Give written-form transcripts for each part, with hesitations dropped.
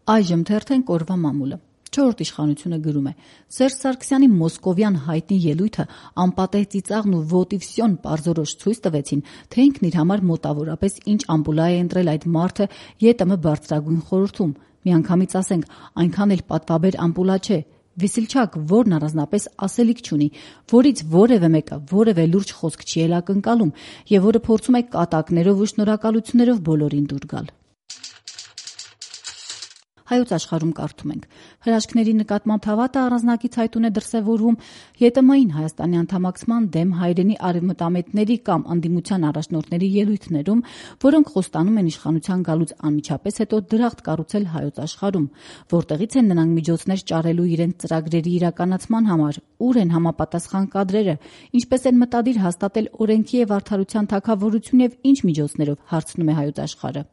Այժմ թերթենք օրվա մամուլը։ Չորրորդ իշխանությունը գրում է. Սերժ Սարգսյանի մոսկովյան հայտնի ելույթը անպատեհ ծիծաղն ու վոտիվսյոն պարզորոշ ցույց տվեցին, թե ինքն իր համար մոտավորապես ինչ ամպուլա է ընտրել այդ մարդը ԵՏՄ բարձրագույն խորհրդում։ Միանգամից ասենք, այնքան էլ պատվաբեր ամպուլա չէ։ Վիսիլչակ, որն առանձնապես ասելիք չունի, որից որևէ մեկը որևէ լուրջ խոսք չի էլ ակնկալում եւ որը փորձում է կատակներով ու շնորհակալություններով բոլորին դուր գալ։ Հայոց աշխարհում կարդում ենք. հրաշքների նկատմամբ հավատը առանձնակից հայտուն է դրսևորվում ԵՏՄ-ին Հայաստանի անդամակցման դեմ հայրենի արևմտամետների կամ ընդդիմության առաջնորդների ելույթներում, որոնք խոստանում են իշխանության գալուց անմիջապես հետո դրախտ կառուցել հայոց աշխարհում, որտեղից են նրանք միջոցներ ճարելու իրենց ծրագրերի իրականացման համար, ուր են համապատասխան կադրերը, ինչպես են մտադիր հաստատել օրենքի եւ արդարության թագավորություն եւ ինչ միջոցներով, հարցնում է հայոց աշխարհը։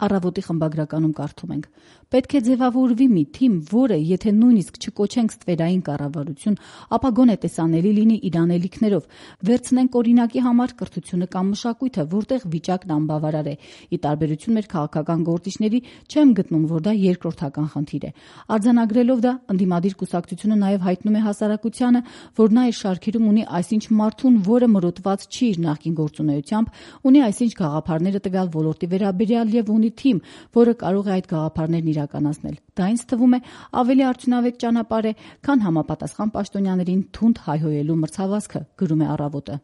Առավոտի խմբագրականում կարդում ենք. պետք է ձևավորվի մի թիմ, որը, եթե նույնիսկ չկոչենք ստվերային կառավարություն, ապա գոնե տեսանելի լինի իր անելիքներով, վերցնենք օրինակի համար կրթությունը կամ մշակույթը, որտեղ վիճակն անբավարար է։ Ի տարբերություն մեր քաղաքական գործիչների, չեմ գտնում, որ դա երկրորդական խնդիր է։ Արձանագրելով դա, ընդդիմադիր կուսակցությունը նաև հայտնում է հասարակությանը, որ նա իր շարքերում ունի այսինչ մարդուն, որը մրոտված չի իր նախկին գործունեությամբ, ունի այսինչ գաղափարները տվյալ ոլորտի վերաբերյալ եւ ունի թիմ, որը կարող է այդ գաղափարներն իրականացնել։ Դա ինձ թվում է ավելի արդյունավետ ճանապարհ է, քան համապատասխան պաշտոնյաներին թունդ հայհոյելու մրցավազքը, գրում է Առավոտը։